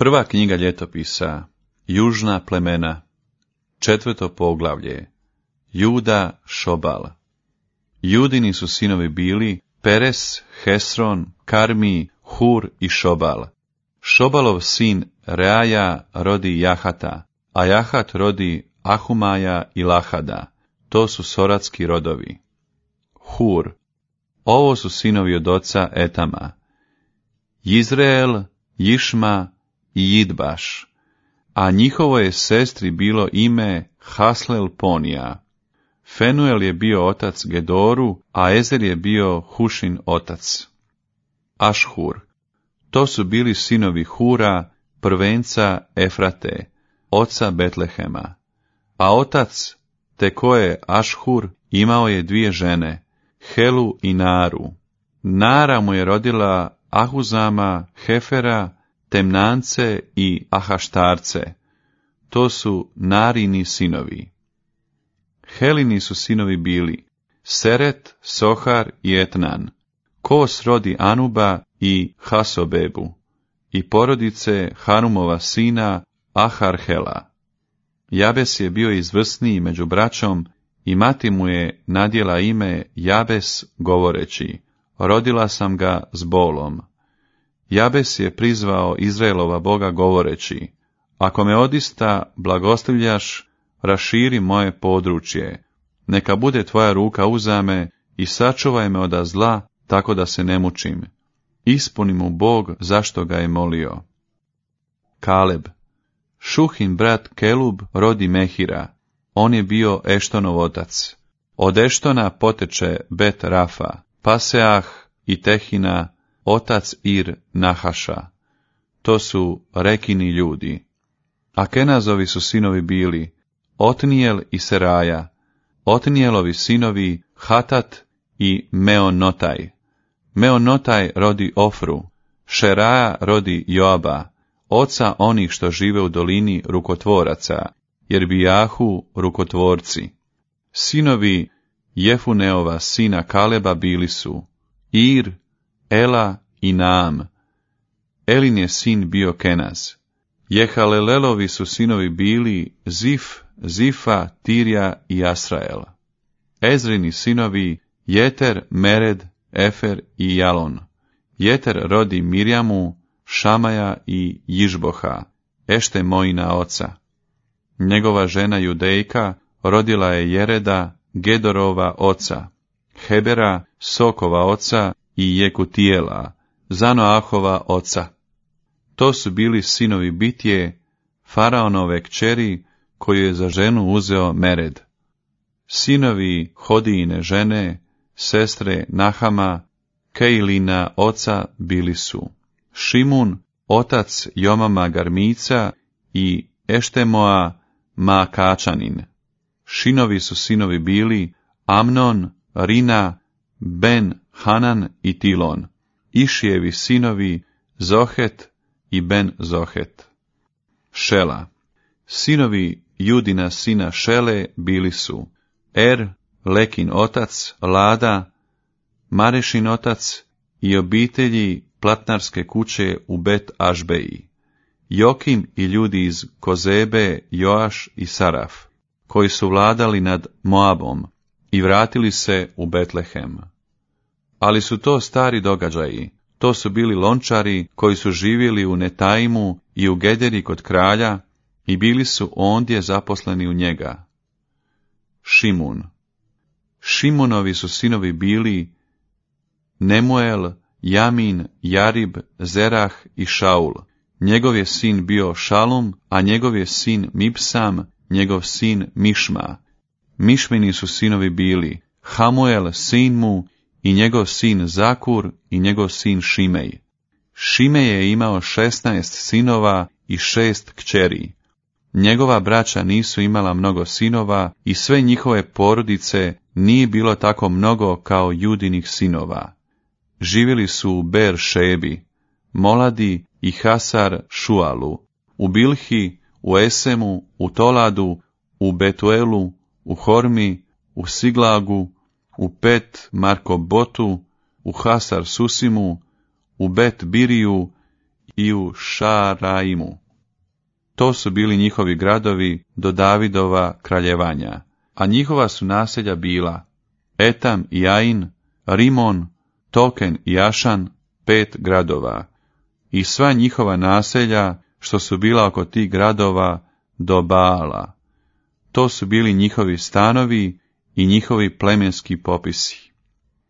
Prva knjiga ljetopisa, Južna plemena, 4. poglavlje, Juda Šobal. Judini su sinovi bili Peres, Hesron, Karmi, Hur i Šobal. Šobalov sin Reaja rodi Jahata, a Jahat rodi Ahumaja i Lahada. To su soratski rodovi. Hur. Ovo su sinovi od oca Etama. Jizreel, Jišma i Jidbaš, a njihovo je sestri bilo ime Haslel Ponija. Fenuel je bio otac Gedoru, a Ezer je bio Hušin otac. Ašhur. To su bili sinovi Hura, prvenca Efrate, oca Betlehema. A otac Tekoe Ašhur imao je 2 žene, Helu i Naru. Nara mu je rodila Ahuzama, Hefera, Temnance i Ahaštarce. To su Narini sinovi. Helini su sinovi bili Seret, Sohar i Etnan. Kos rodi Anuba i Hasobebu i porodice Hanumova sina Aharhela. Jabes je bio izvrsniji među braćom i mati mu je nadjela ime Jabes govoreći, rodila sam ga s bolom. Jabes je prizvao Izraelova Boga govoreći, ako me odista blagoslivljaš, raširi moje područje, neka bude tvoja ruka uza me i sačuvaj me od zla, tako da se ne mučim. Ispuni mu Bog zašto ga je molio. Kaleb. Šuhin brat Kelub rodi Mehira, on je bio Eštonov otac. Od Eštona poteče Bet Rafa, Paseah i Tehina, otac Ir Nahaša. To su Rekini ljudi. A Kenazovi su sinovi bili Otnijel i Seraja, Otnijelovi sinovi Hatat i Meonotaj. Meonotaj rodi Ofru, Šeraja rodi Joaba, oca onih što žive u dolini rukotvoraca, jer bijahu rukotvorci. Sinovi Jefuneova sina Kaleba bili su Ir, Ela i Naam. Elin je sin bio Kenaz. Jehalelelovi su sinovi bili Zif, Zifa, Tirja i Asrael. Ezrini sinovi Jeter, Mered, Efer i Jalon. Jeter rodi Mirjamu, Šamaja i Jižboha, Eštemojina oca. Njegova žena Judejka rodila je Jereda, Gedorova oca, Hebera, Sokova oca i Jekutijela, Zanoahova oca. To su bili sinovi Bitje, Faraonove kćeri, koju je za ženu uzeo Mered. Sinovi Hodijine žene, sestre Nahama, Kejlina oca bili su Šimun, otac Jomama Garmica i Eštemoa Maakačanin. Šinovi su sinovi bili Amnon, Rina, Ben Hanan i Tilon. Išijevi sinovi Zohet i Ben Zohet. Šela. Sinovi Judina sina Šele bili su Er, Lekin otac, Lada, Marešin otac i obitelji platnarske kuće u Bet Ašbeji. Jokim i ljudi iz Kozebe, Joaš i Saraf, koji su vladali nad Moabom i vratili se u Betlehem. Ali su to stari događaji, to su bili lončari koji su živjeli u Netaimu i u Gederi kod kralja i bili su ondje zaposleni u njega. Šimun. Šimunovi su sinovi bili Nemuel, Jamin, Jarib, Zerah i Šaul. Njegov je sin bio Šalum, a njegov je sin Mipsam, njegov sin Mišma. Mišmini su sinovi bili Hamuel, sin mu, i njegov sin Zakur i njegov sin Šimej. Šimej je imao 16 sinova i 6 kćeri. Njegova braća nisu imala mnogo sinova i sve njihove porodice nije bilo tako mnogo kao Judinih sinova. Živjeli su u Ber Šebi, Moladi i Hasar Šualu, u Bilhi, u Esemu, u Toladu, u Betuelu, u Hormi, u Siglagu, u Bet Markobotu, u Hasar Susimu, u Bet Biriju i u Šaraimu. To su bili njihovi gradovi do Davidova kraljevanja, a njihova su naselja bila Etam i Ain, Rimon, Token i Ašan, 5 gradova, i sva njihova naselja što su bila oko tih gradova do Baala. To su bili njihovi stanovi i njihovi plemenski popisi.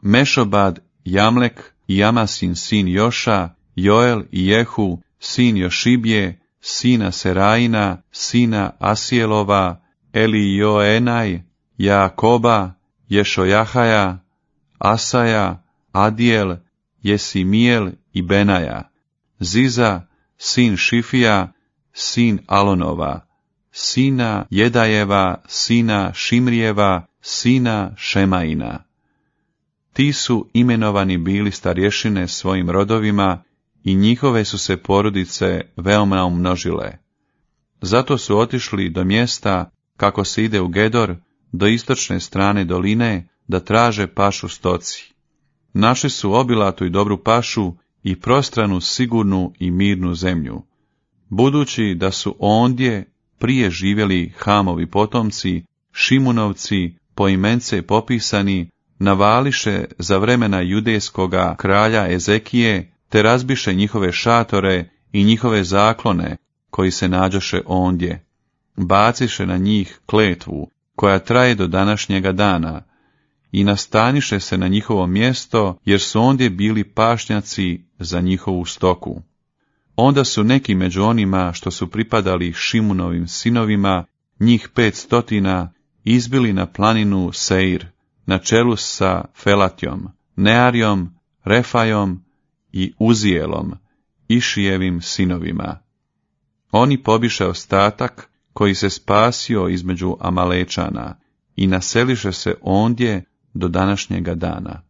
Mešobad, Jamlek i Jamasin sin Joša, Joel i Jehu, sin Jošibje, sina Seraina, sina Asijelova, Elijoenaj, Jakoba, Ješojahaja, Asaja, Adijel, Jesimijel i Benaja, Ziza, sin Šifija, sin Alonova, sina Jedajeva, sina Šimrijeva, sina Šemaina. Ti su imenovani bili starješine svojim rodovima i njihove su se porodice veoma umnožile. Zato su otišli do mjesta, kako se ide u Gedor, do istočne strane doline, da traže pašu stoci. Našli su obilatu i dobru pašu i prostranu, sigurnu i mirnu zemlju. Budući da su ondje prije živjeli Hamovi potomci, Šimunovci, poimence popisani, navališe za vremena judejskoga kralja Ezekije, te razbiše njihove šatore i njihove zaklone, koji se nađoše ondje. Baciše na njih kletvu, koja traje do današnjega dana, i nastaniše se na njihovo mjesto, jer su ondje bili pašnjaci za njihovu stoku. Onda su neki među onima što su pripadali Šimunovim sinovima, njih 500, izbili na planinu Seir, na čelu sa Felatjom, Nearijom, Refajom i Uzijelom, Išijevim sinovima. Oni pobiše ostatak koji se spasio između Amalečana i naseliše se ondje do današnjega dana.